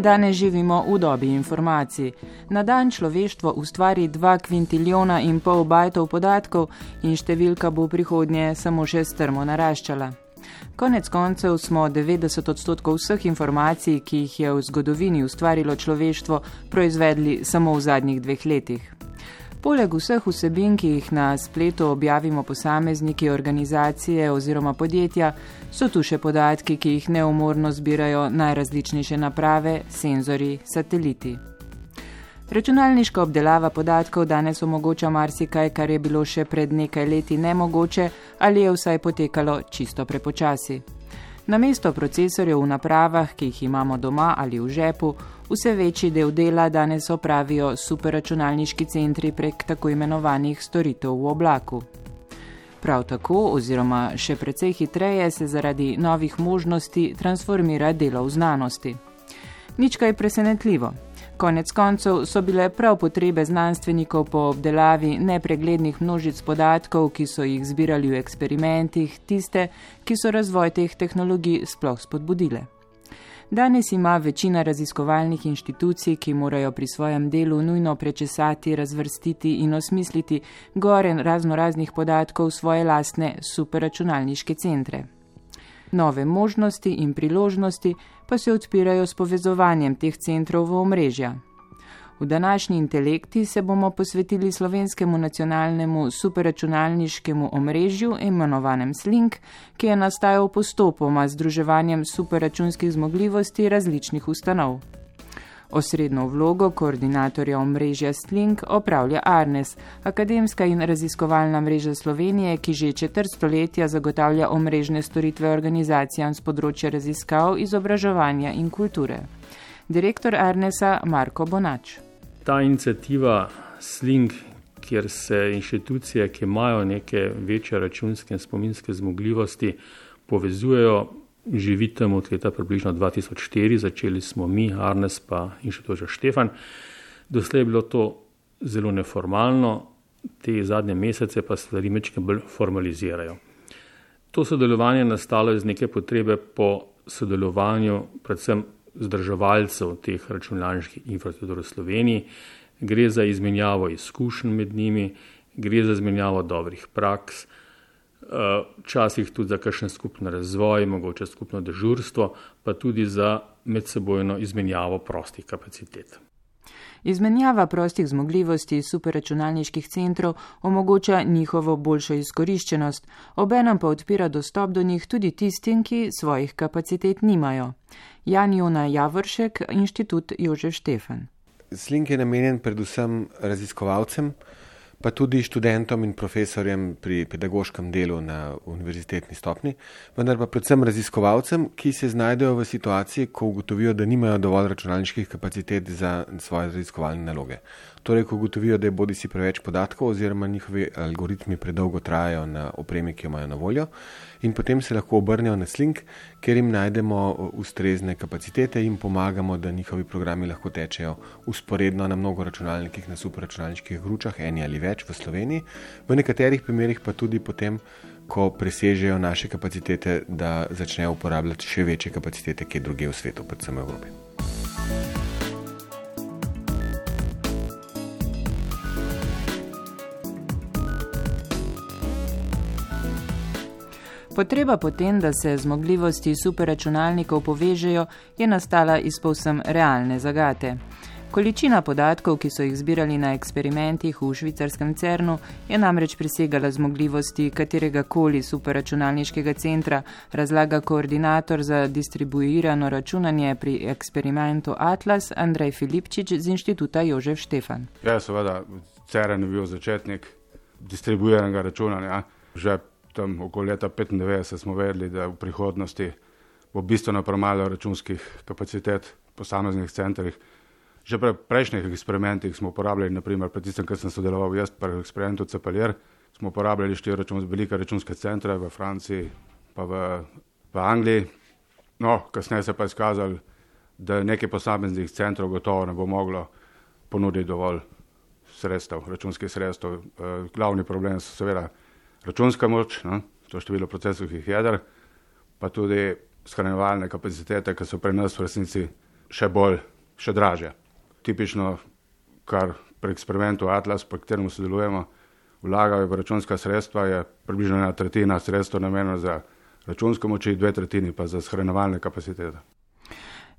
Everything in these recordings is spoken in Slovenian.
Danes živimo v dobi informacij. Na dan človeštvo ustvari 2 kvintilijona in pol bajtov podatkov in številka bo v prihodnje samo še strmo naraščala. Konec koncev smo 90% vseh informacij, ki jih je v zgodovini ustvarilo človeštvo, proizvedli samo v zadnjih 2 letih. Poleg vseh vsebin, ki jih na spletu objavimo posamezniki, organizacije oziroma podjetja, so tu še podatki, ki jih neumorno zbirajo najrazličnejše naprave, senzori, sateliti. Računalniška obdelava podatkov danes omogoča marsikaj, kar je bilo še pred nekaj leti nemogoče ali je vsaj potekalo čisto prepočasi. Namesto procesorjev v napravah, ki jih imamo doma ali v žepu, vse večji del dela danes opravijo superračunalniški centri prek tako imenovanih storitev v oblaku. Prav tako, oziroma še precej hitreje, se zaradi novih možnosti transformira delo v znanosti. Nič kaj presenetljivo. Konec koncev so bile prav potrebe znanstvenikov po obdelavi nepreglednih množic podatkov, ki so jih zbirali v eksperimentih, tiste, ki so razvoj teh tehnologij sploh spodbudile. Danes ima večina raziskovalnih inštitucij, ki morajo pri svojem delu nujno prečesati, razvrstiti in osmisliti gore raznoraznih podatkov svoje lastne superračunalniške centre. Nove možnosti in priložnosti pa se odpirajo s povezovanjem teh centrov v omrežja. V današnji Intelekti se bomo posvetili slovenskemu nacionalnemu superračunalniškemu omrežju, imenovanem Slink, ki je nastajal postopoma z združevanjem superračunskih zmogljivosti različnih ustanov. Osrednjo vlogo koordinatorja omrežja Slink opravlja Arnes, akademska in raziskovalna mreža Slovenije, ki že 4 stoletja zagotavlja omrežne storitve organizacijam z področja raziskav, izobraževanja in kulture. Direktor Arnesa Marko Bonač. Ta iniciativa Slink, kjer se inštitucije, ki imajo neke večje računske in spominske zmogljivosti, povezujejo, živi tam od leta približno 2004, začeli smo mi, Arnes pa Inštitut Štefan. Doslej je bilo to zelo neformalno, te zadnje mesece pa stvari majčkeno bolj formalizirajo. To sodelovanje je nastalo iz neke potrebe po sodelovanju predvsem vzdrževalcev teh računalniških infrastruktur v Sloveniji. Gre za izmenjavo izkušenj med njimi, gre za izmenjavo dobrih praks, včasih tudi za kakšen skupni razvoj, mogoče skupno dežurstvo, pa tudi za medsebojno izmenjavo prostih kapacitet. Izmenjava prostih zmogljivosti superračunalniških centrov omogoča njihovo boljšo izkoriščenost, obenem pa odpira dostop do njih tudi tistim, ki svojih kapacitet nimajo. Jan-Jona Javoršek, Inštitut Jožef Štefan. Slink je namenjen predvsem raziskovalcem, pa tudi študentom in profesorjem pri pedagoškem delu na univerzitetni stopni, vendar pa predvsem raziskovalcem, ki se znajdejo v situaciji, ko ugotovijo, da nimajo dovolj računalniških kapacitet za svoje raziskovalne naloge. Torej, ko ugotovijo, da je bodisi preveč podatkov oziroma njihovi algoritmi predolgo trajajo na opremi, ki jo imajo na voljo, in potem se lahko obrnejo na Slink, kjer jim najdemo ustrezne kapacitete in pomagamo, da njihovi programi lahko tečejo usporedno na mnogo računalnikih, na superračunalniških gručah, eni ali več v Sloveniji, v nekaterih primerih pa tudi potem, ko presežejo naše kapacitete, da začnejo uporabljati še večje kapacitete, kje drugje v svetu, predvsem v Evropi. Potreba potem, da se zmogljivosti superračunalnikov povežejo, je nastala iz povsem realne zagate. Količina podatkov, ki so jih zbirali na eksperimentih v švicarskem CERN-u, je namreč presegala zmogljivosti kateregakoli superračunalniškega centra, razlaga koordinator za distribuirano računanje pri eksperimentu Atlas Andrej Filipčič z inštituta Jožef Štefan. Ja, seveda, CERN je bil začetnik distribuiranega računanja. Že tam okoli leta 1995 smo vedeli, da v prihodnosti bo bistveno premalo računskih kapacitet v posameznih centrih. Že pri prejšnjih eksperimentih smo uporabljali, naprimer pri tistem, kar sem sodeloval jaz pri eksperimentu Cepelier, smo uporabljali 4 velike računske centre v Franciji pa v Angliji. No, kasneje se pa je izkazalo, da nekaj posameznih centrov gotovo ne bo moglo ponuditi dovolj sredstev, računskih sredstev. Glavni problem so seveda računska moč, to število procesovih jeder, pa tudi shranjevalne kapacitete, ki so pri nas v resnici še dražje. Tipično, kar pri eksperimentu Atlas, pri katerem sodelujemo, vlagajo v računska sredstva, je približno 1/3 sredstva namenjena za računsko moči, 2/3 pa za shranjevalne kapacitete.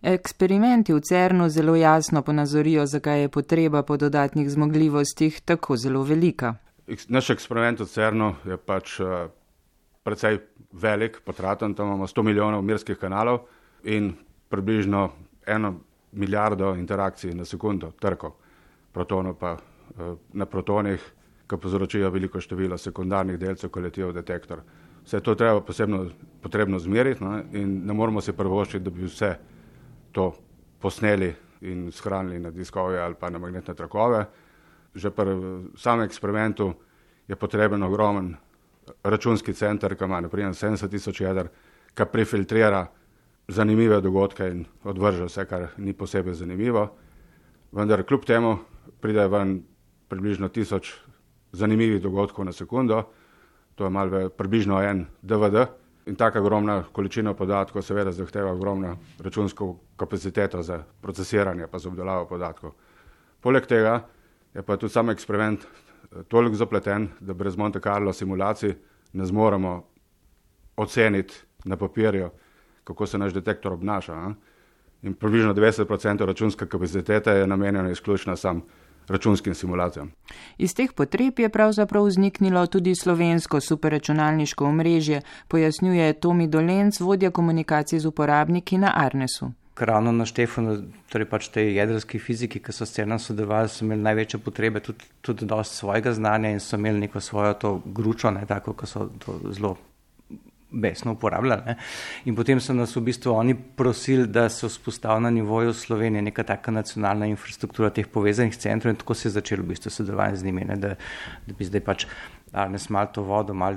Eksperimenti v CERN-u zelo jasno ponazorijo, zakaj je potreba po dodatnih zmogljivostih tako zelo velika. Naš eksperiment v CERN-u je pač precej velik, potraten, tam imamo 100 milijonov mirskih kanalov in približno 1 milijardo interakcij na sekundo, trkov, protonov pa na protonih, ki povzročijo veliko število sekundarnih delcev, ko letijo v detektor. Vse to treba potrebno zmeriti, in ne moramo si privoščiti, da bi vse to posneli in shranili na diskove ali pa na magnetne trakove. Že pri samem eksperimentu je potreben ogromen računski center, ki ima naprimer 70 tisoč jeder, ki prefiltrira zanimive dogodke in odvrže vse, kar ni posebej zanimivo. Vendar kljub temu pride ven približno 1000 zanimivih dogodkov na sekundo, to je malo približno en DVD in taka ogromna količina podatkov seveda zahteva ogromno računsko kapaciteto za procesiranje pa za obdelavo podatkov. Poleg tega je pa tudi sam eksperiment toliko zapleten, da brez Monte Carlo simulacij ne zmoremo oceniti na papirju, kako se naš detektor obnaša. In približno 90% računske kapacitete je namenjeno izključno sam računskim simulacijam. Iz teh potreb je pravzaprav vzniknilo tudi slovensko superračunalniško omrežje, pojasnjuje Tomi Dolenc, vodja komunikacij z uporabniki na Arnesu. Ravno na Štefanu, torej pač tej jedrski fiziki, ki so s CERN-om sodelovali, so imeli največje potrebe, tudi dosti svojega znanja in so imeli neko svojo to gručo, tako, ki so to zelo besno uporabljali. In potem so nas v bistvu oni prosili, da se vzpostavi na nivoju Slovenije neka taka nacionalna infrastruktura teh povezanih centrov in tako se je začelo v bistvu sodelovanje z njimi, da bi zdaj pač Arnes malo to vodo, malo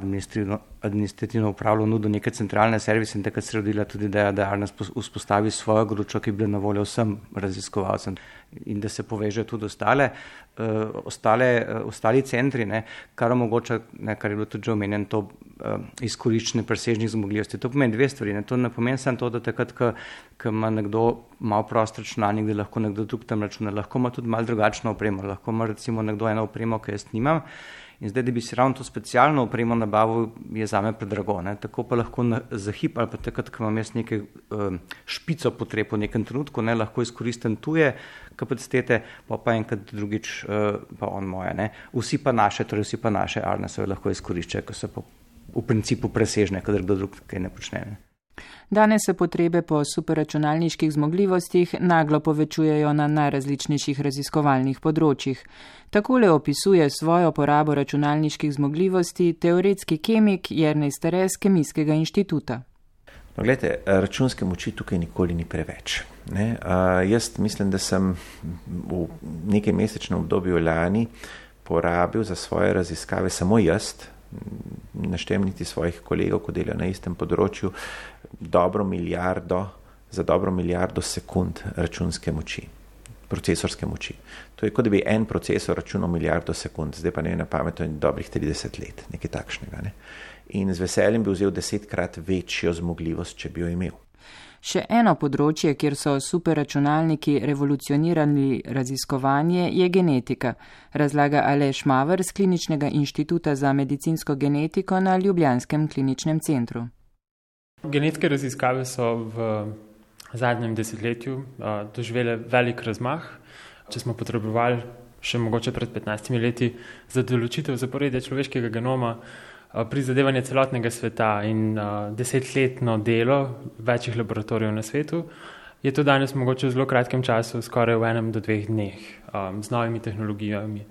administrativno upravljal, nudil neke centralne servise in takrat se rodila tudi ideja, da Arnes vzpostavi svojo gručo, ki bi bila na voljo vsem raziskovalcem in da se poveže tudi ostali centri, kar omogoča, kar je bilo tudi že omenjeno, to izkoriščenje presežnih zmogljivosti. To pomeni dve stvari. To ne pomeni samo to, da takrat, ko ima nekdo malo prost računalnik, da lahko nekdo drug tam računa, lahko ima tudi malo drugačno opremo, lahko ima recimo nekdo eno opremo, ki jaz nimam. In zdaj, da bi si ravno to specialno opremo nabavil, je zame predrago. Tako pa lahko za hip ali pa takrat, ko imam jaz nekaj špico potreb v nekem trenutku, lahko izkoristim tuje kapacitete, pa enkrat drugič pa on moje. Vsi pa naše Arnesove lahko izkoriščajo, ko so pa v principu presežne, kadar kdo drug kaj ne počne. Danes se potrebe po superračunalniških zmogljivostih naglo povečujejo na najrazličnejših raziskovalnih področjih. Takole opisuje svojo porabo računalniških zmogljivosti teoretski kemik Jernej Stare z Kemijskega inštituta. No, gledajte, računske moči tukaj nikoli ni preveč. Jaz mislim, da sem v nekaj mesečnem obdobju lani porabil za svoje raziskave samo jaz, naštem niti svojih kolegov, ko delajo na istem področju, za dobro milijardo sekund računske moči, procesorske moči. To je kot da bi en procesor računal milijardo sekund, zdaj pa ne na pamet, in dobrih 30 let, nekaj takšnega. In z veseljem bi vzel 10-krat večjo zmogljivost, če bi jo imel. Še eno področje, kjer so superračunalniki revolucionirali raziskovanje, je genetika, razlaga Aleš Maver z Kliničnega inštituta za medicinsko genetiko na Ljubljanskem kliničnem centru. Genetske raziskave so v zadnjem desetletju doživele velik razmah. Če smo potrebovali še mogoče pred 15 leti za določitev zaporedja človeškega genoma, prizadevanje celotnega sveta in 10-letno delo večjih laboratorijev na svetu, je to danes mogoče v zelo kratkem času, skoraj v 1 do 2 dneh, z novimi tehnologijami.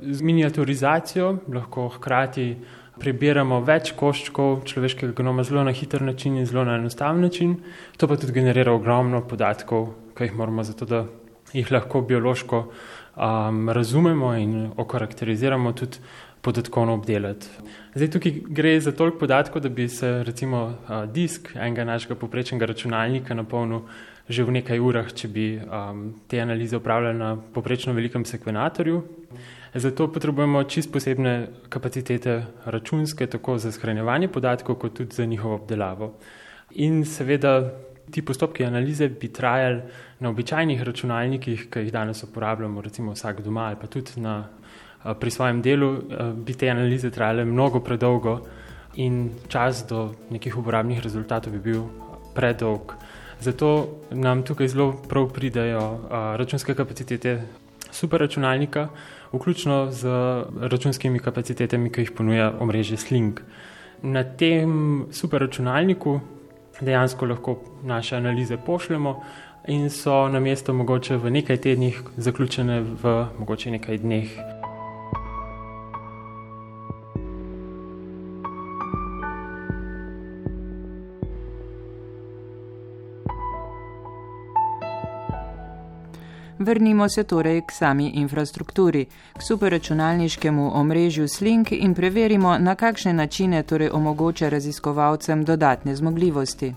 Z miniaturizacijo lahko hkrati prebiramo več koščkov človeškega genoma zelo na hiter način in zelo na enostaven način. To pa tudi generira ogromno podatkov, ki jih moramo zato, da jih lahko biološko razumemo in okarakteriziramo, tudi podatkovno obdelati. Zdaj tukaj gre za toliko podatkov, da bi se recimo disk enega našega povprečnega računalnika napolnil že v nekaj urah, če bi te analize upravljali na povprečno velikem sekvenatorju. Zato potrebujemo čisto posebne kapacitete računske, tako za shranjevanje podatkov, kot tudi za njihovo obdelavo. In seveda ti postopki analize bi trajali na običajnih računalnikih, ki jih danes uporabljamo, recimo vsak doma ali pa tudi pri svojem delu, bi te analize trajale mnogo predolgo in čas do nekih uporabnih rezultatov bi bil predolg. Zato nam tukaj zelo prav pridajo računske kapacitete superračunalnika, vključno z računskimi kapacitetami, ki jih ponuja omrežje Sling. Na tem superračunalniku dejansko lahko naše analize pošljemo in so namesto mogoče v nekaj tednih zaključene v mogoče nekaj dneh. Vrnimo se torej k sami infrastrukturi, k superračunalniškemu omrežju Sling in preverimo, na kakšne načine torej omogoča raziskovalcem dodatne zmogljivosti.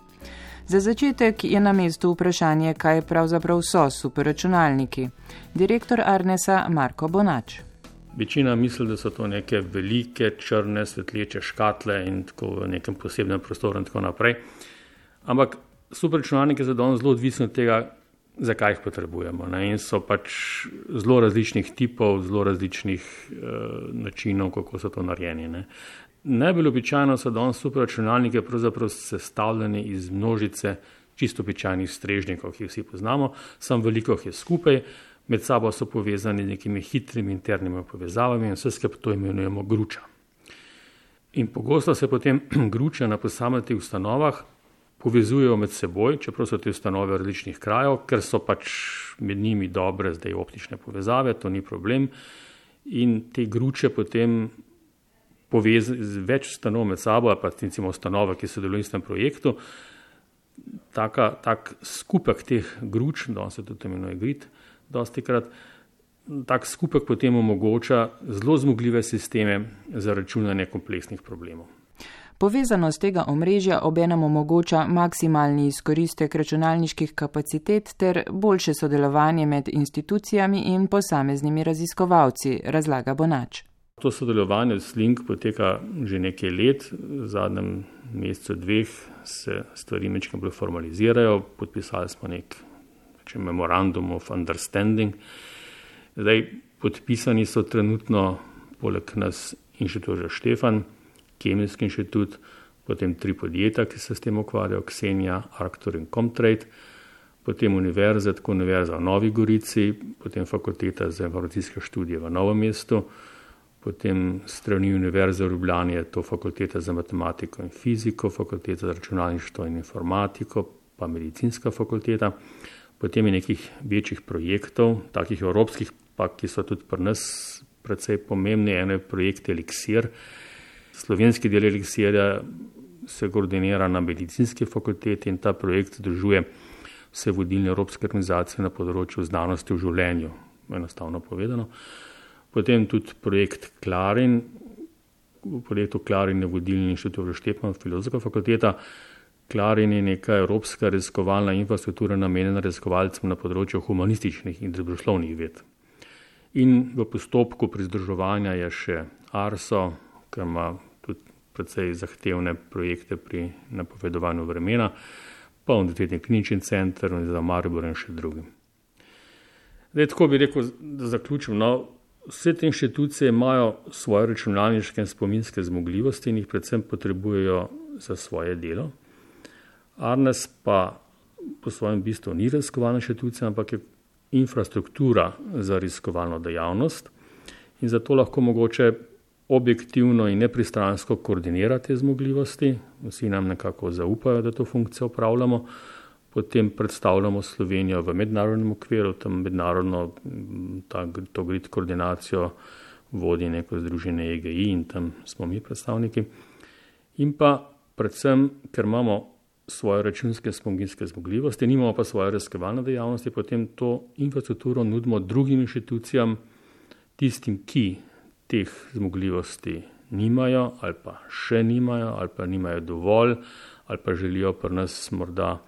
Za začetek je na mestu vprašanje, kaj pravzaprav so superračunalniki. Direktor Arnesa Marko Bonač. Večina misli, da so to neke velike, črne, svetleče škatle in tako v nekem posebnem prostoru in tako naprej. Ampak superračunalniki so danes zelo odvisni od tega, zakaj jih potrebujemo. In so pač zelo različnih tipov, zelo različnih načinov, kako so to narejeni. Najbolj običajno so danes superračunalniki pravzaprav sestavljeni iz množice čisto običajnih strežnikov, ki jih vsi poznamo, samo veliko jih je skupaj, med sabo so povezani z nekimi hitrimi internimi povezavami in vse skupaj to imenujemo gruča. In pogosto se potem gruče na posameznih ustanovah povezujejo med seboj, čeprav so te ustanove različnih krajev, ker so pač med njimi dobre zdaj optične povezave, to ni problem. In te gruče potem z več ustanov med sabo, ali pa recimo ustanove, ki sodelujejo v istem projektu, tak skupek teh gruč, danes se tudi imenuje grid, dostikrat, tak skupek potem omogoča zelo zmogljive sisteme za računanje kompleksnih problemov. Povezanost tega omrežja obenem omogoča maksimalni izkoristek računalniških kapacitet ter boljše sodelovanje med institucijami in posameznimi raziskovalci, razlaga Bonač. To sodelovanje s Sling poteka že nekaj let, v zadnjem mesecu 2 se stvari mečkaj bolj formalizirajo, podpisali smo nek memorandum of understanding. Zdaj, podpisani so trenutno poleg nas inštitut Štefan, Kemijski inštitut, potem 3 podjetja, ki se s tem ukvarjajo, Xenia, Arctur in Comtrade, potem univerze, tako univerza v Novi Gorici, potem fakulteta za informacijske študije v Novem mestu, potem strani univerze v Ljubljani je to fakulteta za matematiko in fiziko, fakulteta za računalništvo in informatiko, pa medicinska fakulteta. Potem je nekih večjih projektov, takih evropskih, pa ki so tudi pri nas precej pomembni. Eno je projekt Eliksir. Slovenski del Eliksirja se koordinira na medicinski fakulteti in ta projekt združuje vse vodilne evropske organizacije na področju znanosti v življenju, enostavno povedano. Potem tudi projekt Clarin. V projektu Clarin je vodilni inštitut Štefan, filozofska fakulteta. Clarin je neka evropska raziskovalna infrastruktura namenjena raziskovalcem na področju humanističnih in družboslovnih ved. In v postopku pridruževanja je še Arso, ki ima tudi precej zahtevne projekte pri napovedovanju vremena, pa Univerzitetni klinični center in za Maribor in še drugim. Zdaj, tako bi rekel, da zaključim. Vse te inštitucije imajo svoje računalniške in spominske zmogljivosti in jih predvsem potrebujejo za svoje delo. Arnes pa po svojem bistvu ni raziskovalna inštitucija, ampak je infrastruktura za raziskovalno dejavnost in zato lahko mogoče objektivno in nepristransko koordinira te zmogljivosti. Vsi nam nekako zaupajo, da to funkcijo opravljamo. Potem predstavljamo Slovenijo v mednarodnem okviru, tam mednarodno to grid koordinacijo vodi neko združenje EGI in tam smo mi predstavniki. In pa predvsem, ker imamo svoje računske spominske zmogljivosti, nimamo pa svoje raziskovalne dejavnosti, potem to infrastrukturo nudimo drugim inštitucijam, tistim, ki teh zmogljivosti nimajo ali pa še nimajo ali pa nimajo dovolj ali pa želijo pri nas morda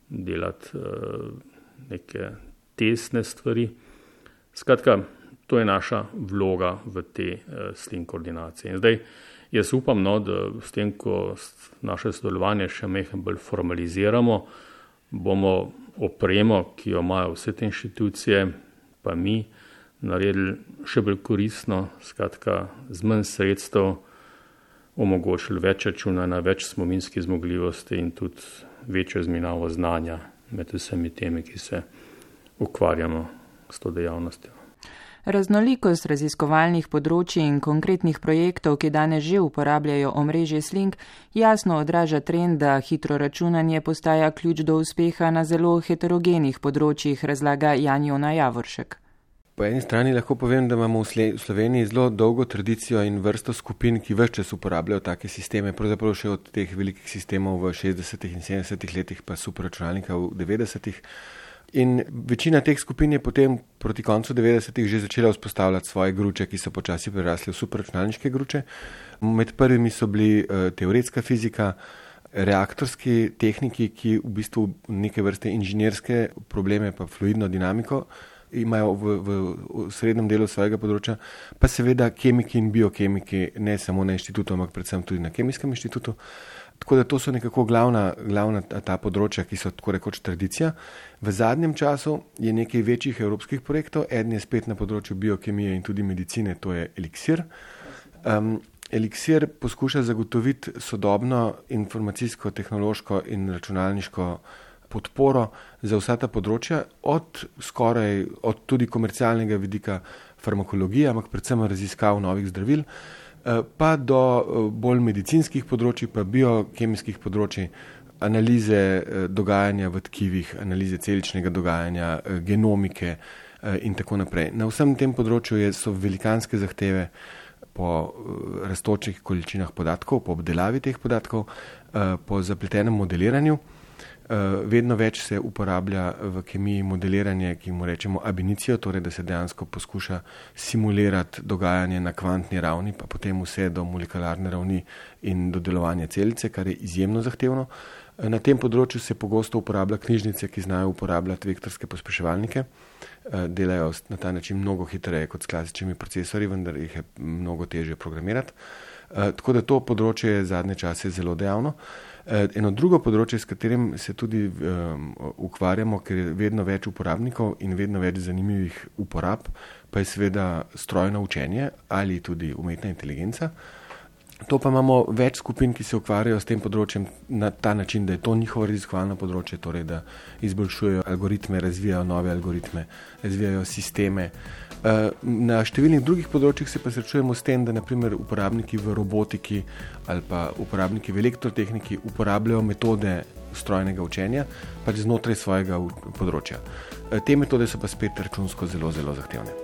delati neke tesne stvari. Skratka, to je naša vloga v te SLING koordinacije. In zdaj jaz upam, da s tem, ko naše sodelovanje še malo bolj formaliziramo, bomo opremo, ki jo imajo vse te inštitucije, pa mi, naredili še bolj koristno, skratka, z manj sredstev omogočili več računanja, več spominskih zmogljivosti in tudi večjo izmenjavo znanja med vsemi temi, ki se ukvarjamo s to dejavnostjo. Raznolikost raziskovalnih področij in konkretnih projektov, ki danes že uporabljajo omrežje SLING, jasno odraža trend, da hitro računanje postaja ključ do uspeha na zelo heterogenih področjih, razlaga Jan-Jona Javoršek. Po eni strani lahko povem, da imamo v Sloveniji zelo dolgo tradicijo in vrsto skupin, ki ves čas uporabljajo take sisteme, pravzaprav še od teh velikih sistemov v 60. in 70. letih, pa superračunalnika v 90. In večina teh skupin je potem proti koncu 90. že začela vzpostavljati svoje gruče, ki so počasi prerasli v superračunalniške gruče. Med prvimi so bili teoretska fizika, reaktorski tehniki, ki v bistvu neke vrste inženirske probleme pa fluidno dinamiko imajo v srednjem delu svojega področja, pa seveda kemiki in biokemiki, ne samo na inštitutu, ampak predvsem tudi na kemijskem inštitutu. Tako da to so nekako glavna ta področja, ki so tako rekoč tradicija. V zadnjem času je nekaj večjih evropskih projektov, eden je spet na področju biokemije in tudi medicine, to je Eliksir. Eliksir poskuša zagotoviti sodobno informacijsko, tehnološko in računalniško podporo za vsa ta področja, od tudi komercialnega vidika farmakologije, ampak predvsem raziskav novih zdravil, pa do bolj medicinskih področji, pa biokemijskih področji, analize dogajanja v tkivih, analize celičnega dogajanja, genomike in tako naprej. Na vsem tem področju so velikanske zahteve po rastočih količinah podatkov, po obdelavi teh podatkov, po zapletenem modeliranju. Vedno več se uporablja v kemiji modeliranje, ki mu rečemo ab initio, torej da se dejansko poskuša simulirati dogajanje na kvantni ravni, pa potem vse do molekularne ravni in do delovanja celice, kar je izjemno zahtevno. Na tem področju se pogosto uporablja knjižnice, ki znajo uporabljati vektorske pospeševalnike. Delajo na ta način mnogo hitreje kot s klasičnimi procesori, vendar jih je mnogo težje programirati. Tako da to področje je zadnje čase zelo dejavno. Eno drugo področje, s katerim se tudi ukvarjamo, ker je vedno več uporabnikov in vedno več zanimivih uporab, pa je seveda strojno učenje ali tudi umetna inteligenca. To pa imamo več skupin, ki se ukvarjajo s tem področjem na ta način, da je to njihovo raziskovalno področje, torej da izboljšujejo algoritme, razvijajo nove algoritme, razvijajo sisteme. Na številnih drugih področjih se pa srečujemo s tem, da naprimer uporabniki v robotiki ali pa uporabniki v elektrotehniki uporabljajo metode strojnega učenja pač znotraj svojega področja. Te metode so pa spet računsko zelo, zelo zahtevne.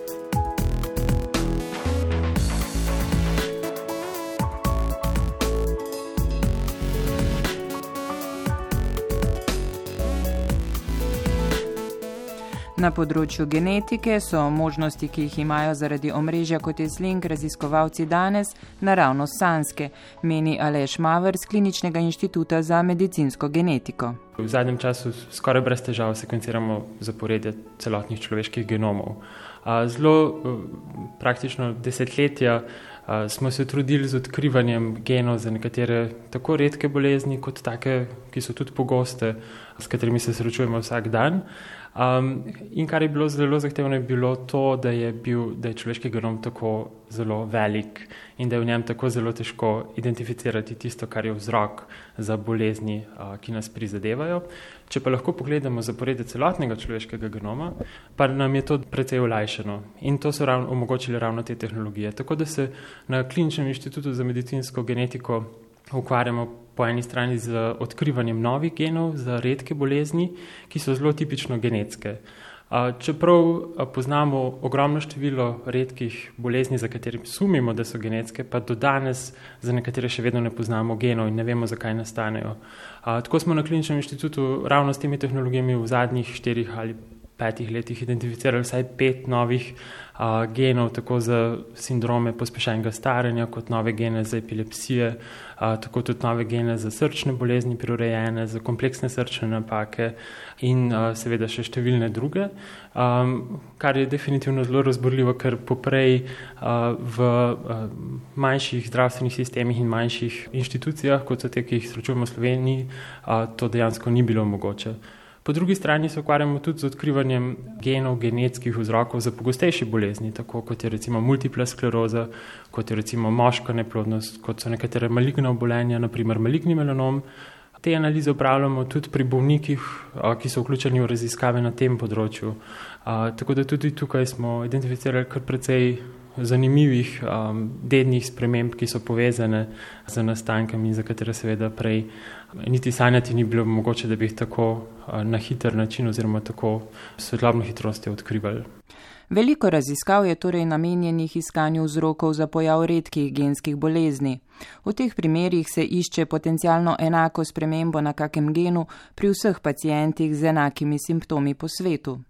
Na področju genetike so možnosti, ki jih imajo zaradi omrežja kot je SLING raziskovalci danes, naravnost sanjske, meni Aleš Maver z Kliničnega inštituta za medicinsko genetiko. V zadnjem času skoraj brez težav sekvenciramo zaporedje celotnih človeških genomov. Zelo praktično desetletja smo se trudili z odkrivanjem genov za nekatere tako redke bolezni, kot take, ki so tudi pogoste, s katerimi se srečujemo vsak dan. In kar je bilo zelo zahtevno, je bilo to, da je človeški genom tako zelo velik in da je v njem tako zelo težko identificirati tisto, kar je vzrok za bolezni, ki nas prizadevajo. Če pa lahko pogledamo zaporedje celotnega človeškega genoma, pa nam je to precej olajšano in to so omogočile ravno te tehnologije. Tako da se na Kliničnem inštitutu za medicinsko genetiko ukvarjamo po eni strani z odkrivanjem novih genov za redke bolezni, ki so zelo tipično genetske. Čeprav poznamo ogromno število redkih bolezni, za katere sumimo, da so genetske, pa do danes za nekatere še vedno ne poznamo genov in ne vemo, zakaj nastanejo. Tako smo na Kliničnem inštitutu ravno s temi tehnologijami v zadnjih 4 ali 5 letih identificirali vsaj 5 novih genov, tako za sindrome pospešenega staranja, kot nove gene za epilepsije, tako tudi nove gene za srčne bolezni prirojene, za kompleksne srčne napake in seveda še številne druge, kar je definitivno zelo razburljivo, ker poprej v manjših zdravstvenih sistemih in manjših inštitucijah, kot so te, ki jih srečujemo v Sloveniji, to dejansko ni bilo mogoče. Po drugi strani se ukvarjamo tudi z odkrivanjem genov, genetskih vzrokov za pogostejše bolezni, tako kot je recimo multipla skleroza, kot je recimo moška neplodnost, kot so nekatere maligna obolenja, naprimer maligni melanom. Te analize upravljamo tudi pri bolnikih, ki so vključeni v raziskave na tem področju. Tako da tudi tukaj smo identificirali kar precej zanimivih dednih sprememb, ki so povezane z nastankom in za katere seveda prej niti sanjati ni bilo mogoče, da bi jih tako na hiter način oziroma tako svetlobno hitrostjo odkrivali. Veliko raziskav je torej namenjenih iskanju vzrokov za pojav redkih genskih bolezni. V teh primerih se išče potencialno enako spremembo na kakem genu pri vseh pacientih z enakimi simptomi po svetu.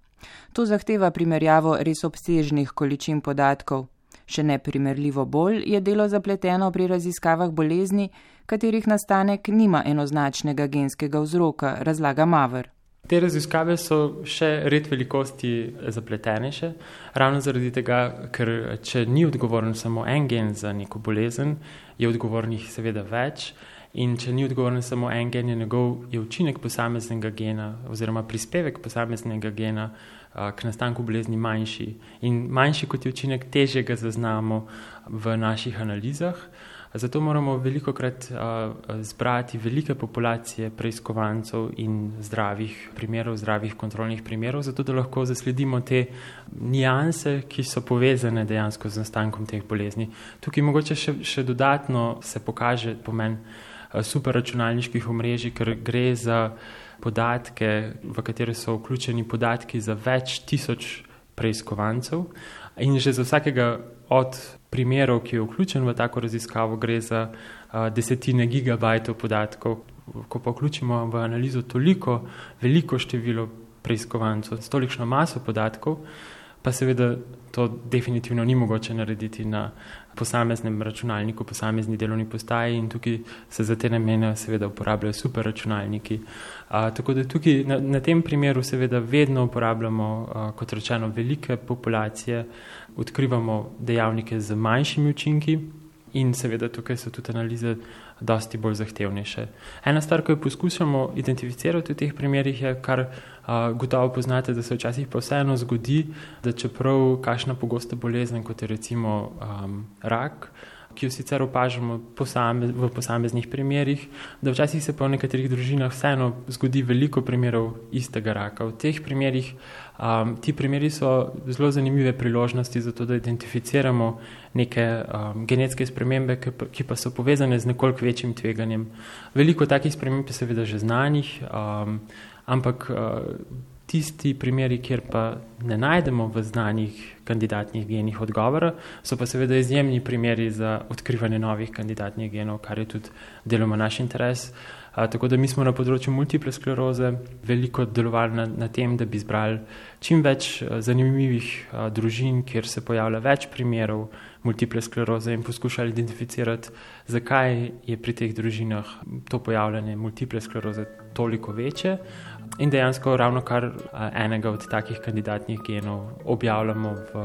To zahteva primerjavo res obsežnih količin podatkov. Še neprimerljivo bolj je delo zapleteno pri raziskavah bolezni, katerih nastanek nima enoznačnega genskega vzroka, razlaga Maver. Te raziskave so še red velikosti zapletenejše, ravno zaradi tega, ker če ni odgovoren samo en gen za neko bolezen, je odgovornih seveda več. In če ni odgovoren samo en gen, je učinek posameznega gena oziroma prispevek posameznega gena k nastanku bolezni manjši. In manjši kot je učinek, težje ga zaznamo v naših analizah. Zato moramo velikokrat zbrati velike populacije preiskovancev in zdravih primerov, zdravih kontrolnih primerov, zato da lahko zasledimo te nianse, ki so povezane dejansko z nastankom teh bolezni. Tukaj mogoče še dodatno se pokaže pomen superračunalniških omrežij, ker gre za podatke, v katere so vključeni podatki za več tisoč preiskovancev in že za vsakega od primerov, ki je vključen v tako raziskavo, gre za desetine gigabajtov podatkov. Ko pa vključimo v analizo veliko število preiskovancev, s tolikšno maso podatkov, pa seveda to definitivno ni mogoče narediti na posameznem računalniku, posamezni delovni postaji in tukaj se za te namene seveda uporabljajo superračunalniki. Tako da tukaj na tem primeru seveda vedno uporabljamo, kot rečeno, velike populacije, odkrivamo dejavnike z manjšimi učinki in seveda tukaj so tudi analize dosti bolj zahtevnejše. Ena stvar, ko jo poskušamo identificirati v teh primerih, je, kar gotovo poznate, da se včasih pa vseeno zgodi, da čeprav kakšna pogosta bolezen, kot je recimo rak, ki jo sicer opažamo v posameznih primerih, da včasih se pa v nekaterih družinah vseeno zgodi veliko primerov istega raka. V teh primerih, ti primeri so zelo zanimive priložnosti za to, da identificiramo neke genetske spremembe, ki pa so povezane z nekoliko večjim tveganjem. Veliko takih sprememb je seveda že znanih, ampak tisti primeri, kjer pa ne najdemo v znanih kandidatnih genih odgovora, so pa seveda izjemni primeri za odkrivanje novih kandidatnih genov, kar je tudi deloma naš interes. Tako da mi smo na področju multiple skleroze veliko delovali na tem, da bi zbrali čim več zanimivih družin, kjer se pojavlja več primerov multiple skleroze in poskušali identificirati, zakaj je pri teh družinah to pojavljanje multiple skleroze toliko večje. In dejansko ravno kar enega od takih kandidatnih genov objavljamo v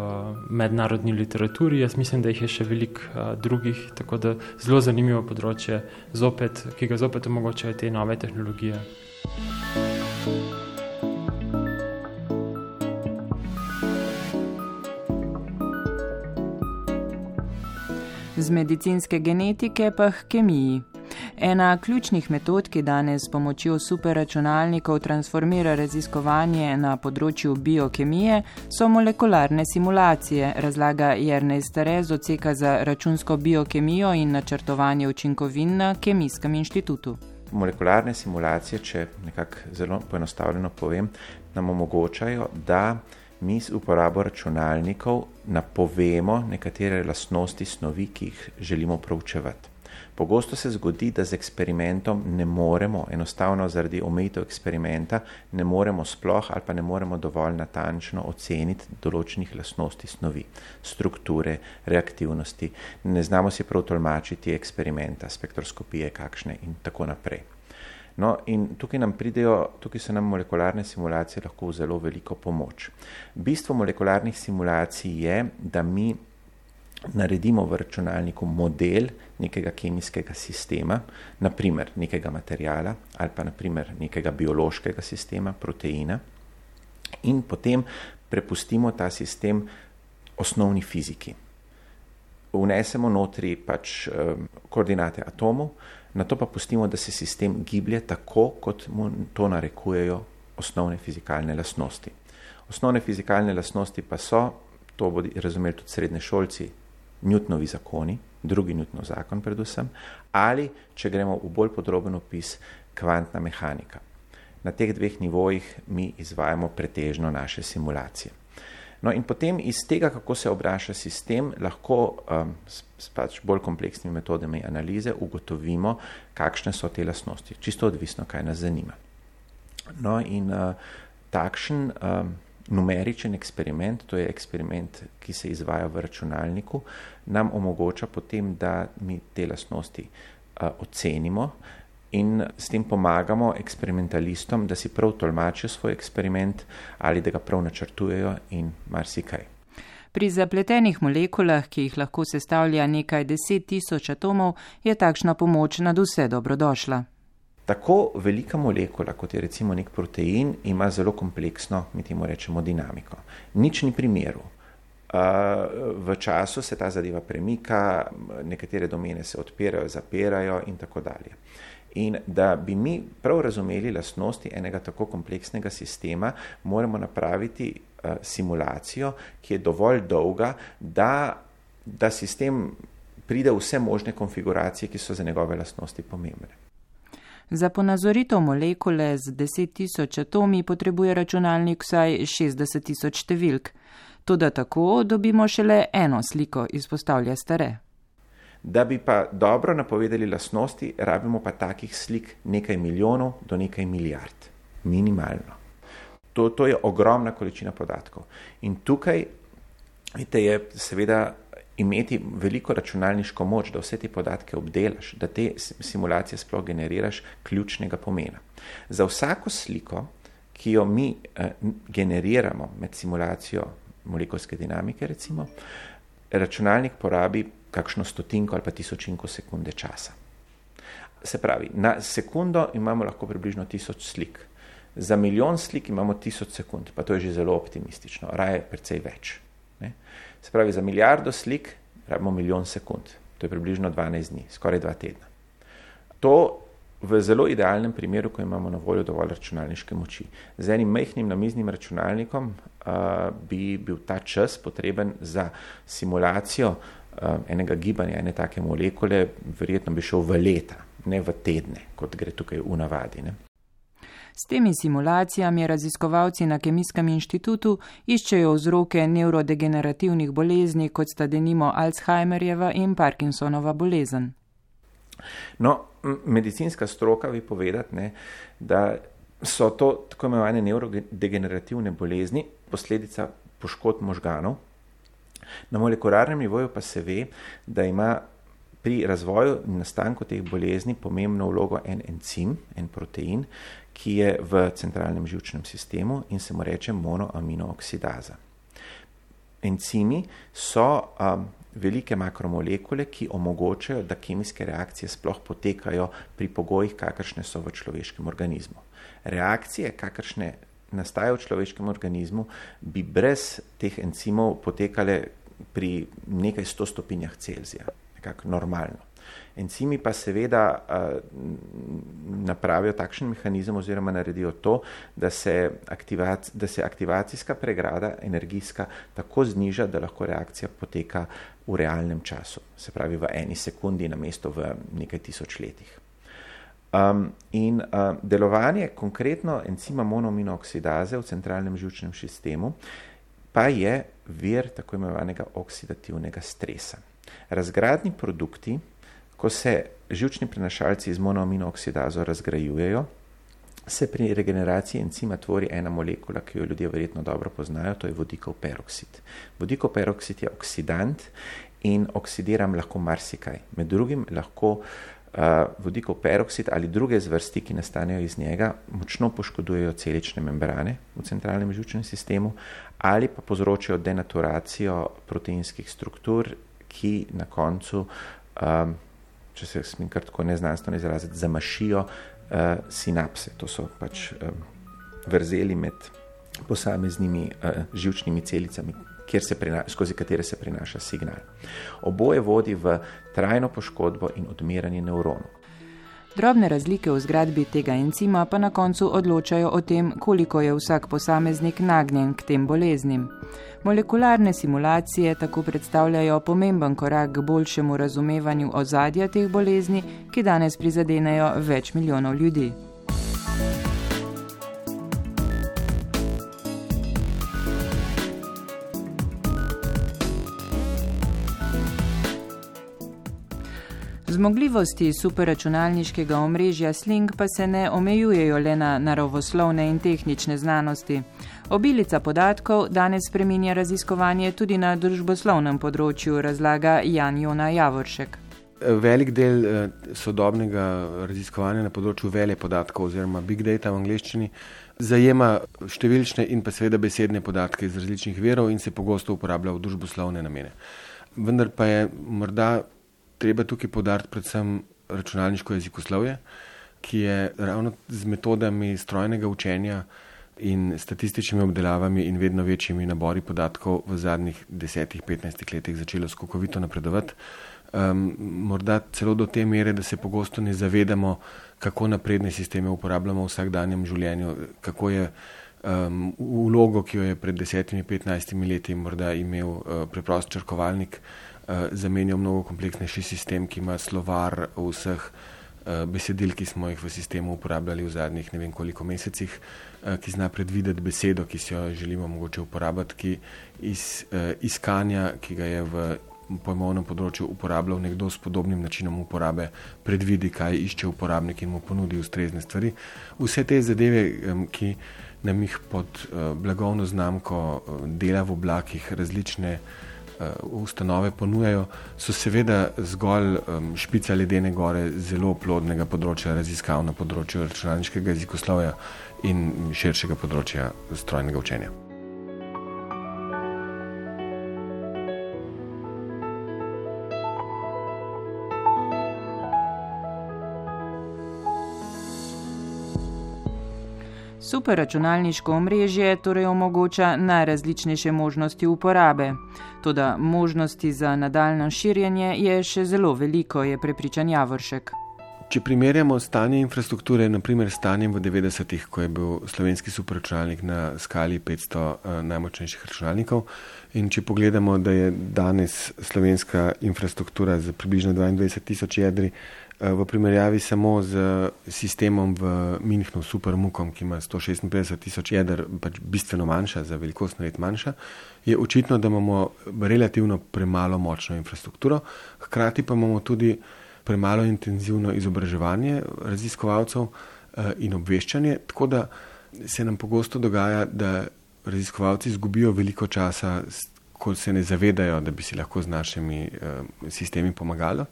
mednarodni literaturi. Jaz mislim, da jih je še veliko drugih, tako da zelo zanimivo področje, ki ga zopet omogočajo te nove tehnologije. medicinske genetike pa k kemiji. Ena ključnih metod, ki danes s pomočjo superračunalnikov transformira raziskovanje na področju biokemije, so molekularne simulacije, razlaga Jernej Stare z odseka za računsko biokemijo in načrtovanje učinkovin na Kemijskem inštitutu. Molekularne simulacije, če nekako zelo poenostavljeno povem, nam omogočajo, da mi z uporabo računalnikov napovemo nekatere lastnosti snovi, ki jih želimo proučevati. Pogosto se zgodi, da z eksperimentom ne moremo, enostavno zaradi omejitev eksperimenta, ne moremo sploh ali pa ne moremo dovolj natančno oceniti določenih lastnosti snovi, strukture, reaktivnosti, ne znamo si prav tolmačiti eksperimenta, spektroskopije kakšne in tako naprej. No, in tukaj so nam molekularne simulacije lahko v zelo veliko pomoč. Bistvo molekularnih simulacij je, da mi naredimo v računalniku model nekega kemijskega sistema, naprimer nekega materijala ali pa naprimer nekega biološkega sistema, proteina, in potem prepustimo ta sistem osnovni fiziki. Vnesemo notri koordinate atomov, nato pa pustimo, da se sistem giblje tako, kot mu to narekujejo osnovne fizikalne lastnosti. Osnovne fizikalne lastnosti pa so, to bodo razumeli tudi srednješolci, Newtonovi zakoni, drugi Newtonov zakon predvsem, ali, če gremo v bolj podroben opis, kvantna mehanika. Na teh dveh nivojih mi izvajamo pretežno naše simulacije. No in potem iz tega, kako se obnaša sistem, lahko s bolj kompleksnimi metodami analize ugotovimo, kakšne so te lastnosti. Čisto odvisno, kaj nas zanima. No in takšen numeričen eksperiment, to je eksperiment, ki se izvaja v računalniku, nam omogoča potem, da mi te lastnosti ocenimo in s tem pomagamo eksperimentalistom, da si prav tolmačijo svoj eksperiment ali da ga prav načrtujejo in marsikaj. Pri zapletenih molekulah, ki jih lahko sestavlja nekaj 10.000 atomov, je takšna pomoč nadvse dobrodošla. Tako velika molekula, kot je recimo nek protein, ima zelo kompleksno, mi temu rečemo, dinamiko. Nič ni primeru. V času se ta zadeva premika, nekatere domene se odpirajo, zapirajo in tako dalje. In da bi mi prav razumeli lastnosti enega tako kompleksnega sistema, moramo napraviti simulacijo, ki je dovolj dolga, da sistem pride v vse možne konfiguracije, ki so za njegove lastnosti pomembne. Za ponazoritev molekule z 10.000 atomi potrebuje računalnik vsaj 60.000 številk. Toda tako dobimo šele eno sliko, izpostavlja Stare. Da bi pa dobro napovedali lastnosti, rabimo pa takih slik nekaj milijonov do nekaj milijard. Minimalno. To je ogromna količina podatkov. In tukaj je seveda imeti veliko računalniško moč, da vse te podatke obdelaš, da te simulacije sploh generiraš, ključnega pomena. Za vsako sliko, ki jo mi generiramo med simulacijo molekulske dinamike, recimo, računalnik porabi kakšno stotinko ali pa tisočinko sekunde časa. Se pravi, na sekundo imamo lahko približno 1000 slik. Za milijon slik imamo 1000 sekund, pa to je že zelo optimistično, raje precej več. Se pravi, za milijardo slik rabimo 1.000.000 sekund. To je približno 12 dni, skoraj 2 tedna. To v zelo idealnem primeru, ko imamo na voljo dovolj računalniške moči. Z enim majhnim namiznim računalnikom bi bil ta čas potreben za simulacijo enega gibanja, ene take molekule, verjetno bi šel v leta, ne v tedne, kot gre tukaj v navadi. Ne? S temi simulacijami raziskovalci na Kemijskem inštitutu iščejo vzroke nevrodegenerativnih bolezni, kot sta denimo Alzheimerjeva in Parkinsonova bolezen. No, medicinska stroka bi povedati, da so to tako imenovane nevrodegenerativne bolezni, posledica poškodb možganov. Na molekularnem nivoju pa se ve, da ima pri razvoju in nastanku teh bolezni pomembno vlogo en encim, en protein, ki je v centralnem živčnem sistemu in se mu reče monoaminooksidaza. Encimi so velike makromolekule, ki omogočajo, da kemijske reakcije sploh potekajo pri pogojih, kakršne so v človeškem organizmu. Reakcije, kakršne nastajajo v človeškem organizmu, bi brez teh encimov potekale pri nekaj 100 stopinjah Celzija. nekako normalno. Encimi pa seveda napravijo takšen mehanizem oziroma naredijo to, da se aktivacijska pregrada energijska tako zniža, da lahko reakcija poteka v realnem času, se pravi v 1 sekundi namesto v nekaj tisoč letih. Delovanje konkretno encima monoaminoksidaze v centralnem živčnem sistemu pa je vir tako imenovanega oksidativnega stresa. Razgradni produkti, ko se živčni prenašalci z monoaminooksidazo razgrajujejo, se pri regeneraciji encima tvori ena molekula, ki jo ljudje verjetno dobro poznajo, to je vodikov peroksid. Vodikov peroksid je oksidant in oksidiram lahko marsikaj. Med drugim lahko vodikov peroksid ali druge zvrsti, ki nastanejo iz njega, močno poškodujejo celične membrane v centralnem živčnem sistemu ali pa povzročijo denaturacijo proteinskih struktur, ki na koncu, če se smem kar tako neznanstveno izraziti, zamašijo sinapse. To so pač vrzeli med posameznimi živčnimi celicami, skozi katere se prenaša signal. Oboje vodi v trajno poškodbo in odmiranje nevronov. Drobne razlike v zgradbi tega encima pa na koncu odločajo o tem, koliko je vsak posameznik nagnjen k tem boleznim. Molekularne simulacije tako predstavljajo pomemben korak k boljšemu razumevanju ozadja teh bolezni, ki danes prizadenejo več milijonov ljudi. Zmogljivosti superračunalniškega omrežja Sling pa se ne omejujejo le na naravoslovne in tehnične znanosti. Obilica podatkov danes spreminja raziskovanje tudi na družboslovnem področju, razlaga Jan Jona Javoršek. Velik del sodobnega raziskovanja na področju velepodatkov oziroma big data v angleščini zajema številčne in pa seveda besedne podatke iz različnih virov in se pogosto uporablja v družboslovne namene. Vendar pa je morda treba tukaj poudariti predvsem računalniško jezikoslovje, ki je ravno z metodami strojnega učenja in statističnimi obdelavami in vedno večjimi nabori podatkov v zadnjih 10-15 letih začelo skokovito napredovati. Morda celo do te mere, da se pogosto ne zavedamo, kako napredne sisteme uporabljamo v vsakdanjem življenju, kako je vlogo, ki jo je pred 10-15 leti morda imel preprost črkovalnik, zamenjal mnogo kompleksnejši sistem, ki ima slovar vseh besedil, ki smo jih v sistemu uporabljali v zadnjih ne vem koliko mesecih, ki zna predvideti besedo, ki si jo želimo mogoče uporabljati, ki iz iskanja, ki ga je v pojmovnem področju uporabljal nekdo s podobnim načinom uporabe, predvidi, kaj išče uporabnik in mu ponudi ustrezne stvari. Vse te zadeve, ki nam jih pod blagovno znamko dela v oblakih različne ustanove ponujajo, so seveda zgolj špica ledene gore zelo plodnega področja raziskav na področju računalniškega jezikoslovja in širšega področja strojnega učenja. Superračunalniško omrežje torej omogoča najrazličnejše možnosti uporabe. Toda možnosti za nadaljnjo širjenje je še zelo veliko, je prepričan Javoršek. Če primerjamo stanje infrastrukture, naprimer stanjem v 90-ih, ko je bil slovenski superračunalnik na skali 500 najmočnejših računalnikov, in če pogledamo, da je danes slovenska infrastruktura za približno 22,000 jedri v primerjavi samo z sistemom v Münchnu, Supermukom, ki ima 156,000 jeder, pač bistveno manjša, za velikost nared manjša, je očitno, da imamo relativno premalo močno infrastrukturo, hkrati pa imamo tudi premalo intenzivno izobraževanje raziskovalcev in obveščanje, tako da se nam pogosto dogaja, da raziskovalci izgubijo veliko časa, ko se ne zavedajo, da bi si lahko z našimi sistemi pomagali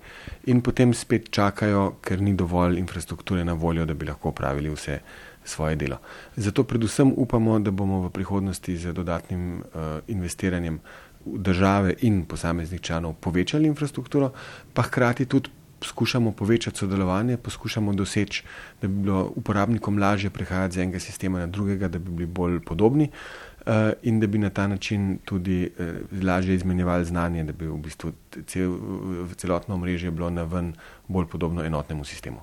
in potem spet čakajo, ker ni dovolj infrastrukture na voljo, da bi lahko opravili vse svoje delo. Zato predvsem upamo, da bomo v prihodnosti z dodatnim investiranjem države in posameznih članov povečali infrastrukturo, pa hkrati tudi poskušamo povečati sodelovanje, poskušamo doseči, da bi bilo uporabnikom lažje prehajati z enega sistema na drugega, da bi bili bolj podobni. in da bi na ta način tudi lažje izmenjevali znanje, da bi v bistvu celotno omrežje bilo naven bolj podobno enotnemu sistemu.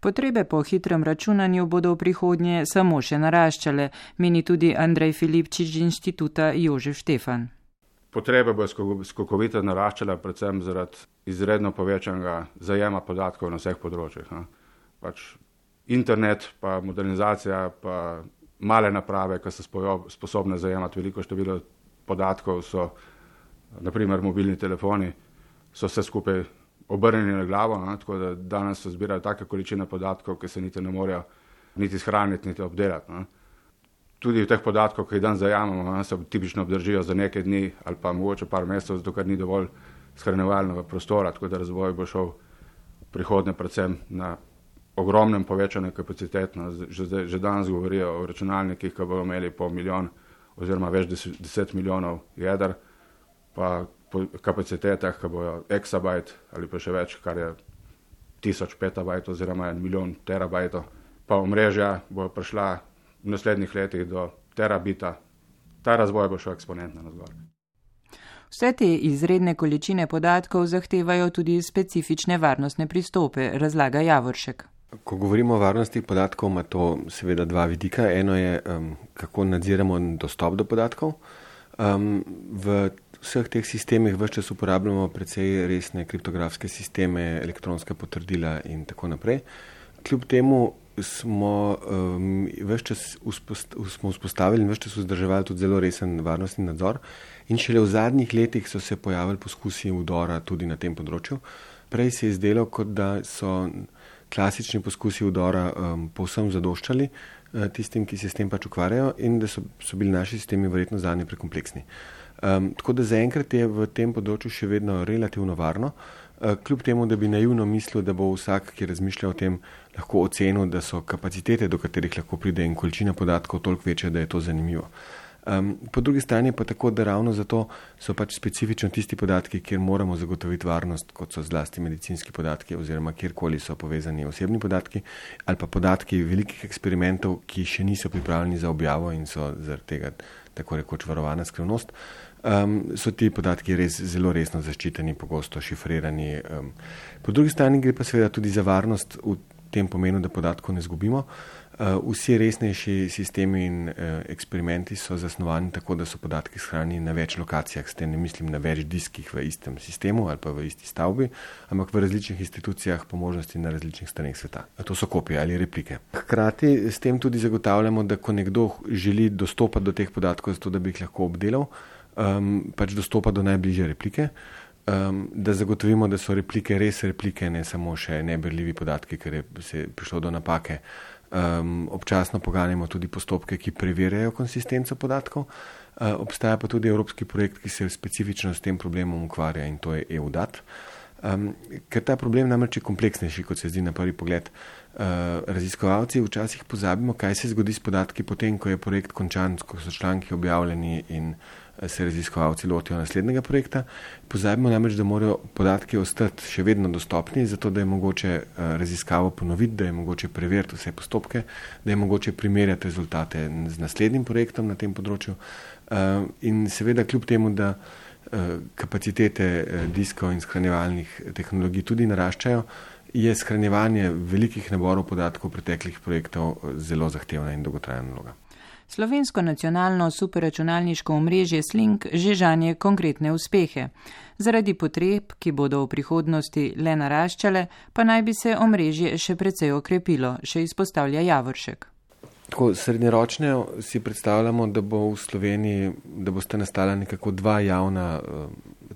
Potrebe po hitrem računanju bodo v prihodnje samo še naraščale, meni tudi Andrej Filipčič z inštituta Jožef Štefan. Potrebe bo skokovito naraščala predvsem zaradi izredno povečanega zajema podatkov na vseh področjih. Pač internet, pa modernizacija, pa male naprave, ki so sposobne zajemati veliko število podatkov, so naprimer mobilni telefoni, so vse skupaj obrnjeni na glavo, tako da danes se zbirajo take količine podatkov, ki se niti ne morejo niti shraniti, niti obdelati. Tudi v teh podatkov, ki jih dan zajamemo, se tipično obdržijo za nekaj dni ali pa mogoče par mesecev, zato ker ni dovolj shranjevalnega prostora, tako da razvoj bo šel prihodnje predvsem na ogromnem povečanju kapacitet. Že danes govorijo o računalnikih, ki bodo imeli po milijon oziroma več 10 milijonov jeder, pa po kapacitetah, ki bojo exabajt ali pa še več, kar je 1000 petabajt oziroma 1 milijon terabajtov. Pa omrežja bojo prišla v naslednjih letih do terabita. Ta razvoj bo šel eksponentno navzgor. Vse te izredne količine podatkov zahtevajo tudi specifične varnostne pristope, razlaga Javoršek. Ko govorimo o varnosti podatkov, ima to seveda dva vidika. Eno je, kako nadziramo dostop do podatkov. V vseh teh sistemih vse čas uporabljamo precej resne kriptografske sisteme, elektronska potrdila in tako naprej. Kljub temu smo vzpostavili in vse čas vzdrževali tudi zelo resen varnostni nadzor in šele v zadnjih letih so se pojavili poskusi vdora tudi na tem področju. Prej se je zdelo, kot da so klasični poskusi vdora povsem zadoščali tistim, ki se s tem pač ukvarjajo in da so bili naši sistemi verjetno zanje prekompleksni. Tako da zaenkrat je v tem področju še vedno relativno varno, kljub temu, da bi naivno mislil, da bo vsak, ki razmišlja o tem, lahko ocenil, da so kapacitete, do katerih lahko pride in količina podatkov toliko večja, da je to zanimivo. Po drugi strani pa tako, da ravno zato so pač specifično tisti podatki, kjer moramo zagotoviti varnost, kot so zlasti medicinski podatki oziroma kjerkoli so povezani osebni podatki ali pa podatki velikih eksperimentov, ki še niso pripravljeni za objavo in so zaradi tega tako rekoč varovana skrivnost. So ti podatki res zelo resno zaščiteni, pogosto šifrirani. Po drugi strani gre pa seveda tudi za varnost v tem pomenu, da podatkov ne zgubimo. Vsi resnejši sistemi in eksperimenti so zasnovani tako, da so podatki shranjeni na več lokacijah, s tem ne mislim na več diskih v istem sistemu ali pa v isti stavbi, ampak v različnih institucijah, po možnosti na različnih straneh sveta. To so kopije ali replike. Hkrati s tem tudi zagotavljamo, da ko nekdo želi dostopati do teh podatkov, zato da bi jih lahko obdelal, pač dostopa do najbližje replike, da zagotovimo, da so replike res replike, ne samo še neberljivi podatki, ker je se prišlo do napake. Občasno poganjamo tudi postopke, ki preverjajo konsistenco podatkov. Obstaja pa tudi evropski projekt, ki se specifično s tem problemom ukvarja in to je EUDAT. Ker ta problem namreč je kompleksnejši, kot se zdi na prvi pogled. Raziskovalci včasih pozabimo, kaj se zgodi s podatki potem, ko je projekt končan, ko so članki objavljeni in se raziskovalci lotijo naslednjega projekta. Pozabimo namreč, da morajo podatki ostati še vedno dostopni, zato da je mogoče raziskavo ponoviti, da je mogoče preveriti vse postopke, da je mogoče primerjati rezultate z naslednjim projektom na tem področju. In seveda kljub temu, da kapacitete diskov in shranjevalnih tehnologij tudi naraščajo, je shranjevanje velikih naborov podatkov preteklih projektov zelo zahtevna in dolgotrajna naloga. Slovensko nacionalno superračunalniško omrežje Slink že žanje konkretne uspehe. Zaradi potreb, ki bodo v prihodnosti le naraščale, pa naj bi se omrežje še precej okrepilo, še izpostavlja Javoršek. Tako srednjeročno si predstavljamo, da bo v Sloveniji, da bosta nastala nekako dva javna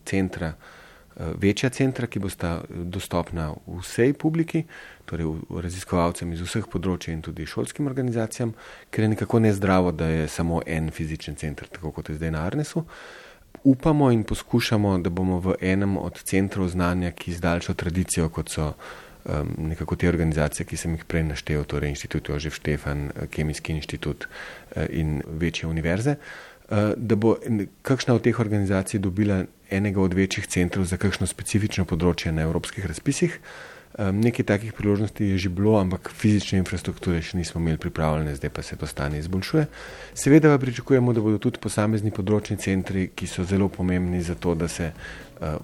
centra, večja centra, ki bosta dostopna vsej publiki, torej raziskovalcem iz vseh področij in tudi šolskim organizacijam, ker je nekako nezdravo, da je samo en fizičen center, tako kot je zdaj na Arnesu. Upamo in poskušamo, da bomo v enem od centrov znanja, ki z daljšo tradicijo, kot so nekako te organizacije, ki sem jih prej naštel, torej Inštitut Jožef Štefan, Kemijski inštitut in večje univerze, da bo kakšna od teh organizacij dobila enega od večjih centrov za kakšno specifično področje na evropskih razpisih. Nekaj takih priložnosti je že bilo, ampak fizične infrastrukture še nismo imeli pripravljene, zdaj pa se to stanje izboljšuje. Seveda pa pričakujemo, da bodo tudi posamezni področni centri, ki so zelo pomembni za to, da se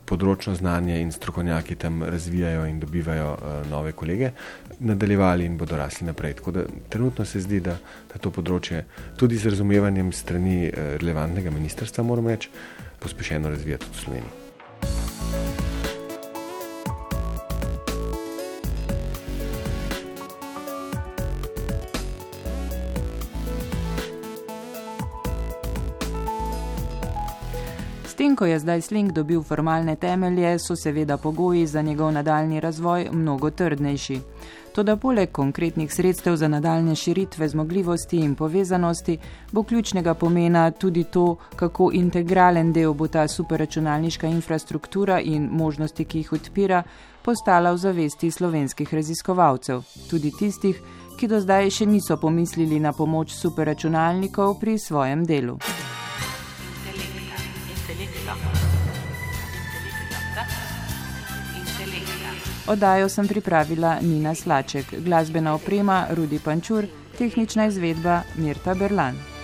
področno znanje in strokovnjaki tam razvijajo in dobivajo nove kolege, nadaljevali in bodo rasli naprej. Tako da trenutno se zdi, da to področje tudi z razumevanjem strani relevantnega ministrstva, moram reči, pospešeno razvija tudi v Sloveniji. S tem, ko je zdaj Sling dobil formalne temelje, so seveda pogoji za njegov nadaljni razvoj mnogo trdnejši. Toda poleg konkretnih sredstev za nadaljne širitve zmogljivosti in povezanosti bo ključnega pomena tudi to, kako integralen del bo ta superračunalniška infrastruktura in možnosti, ki jih odpira, postala v zavesti slovenskih raziskovalcev, tudi tistih, ki do zdaj še niso pomislili na pomoč superračunalnikov pri svojem delu. Oddajo sem pripravila Nina Slaček, glasbena oprema Rudi Pančur, tehnična izvedba Mirta Berlan.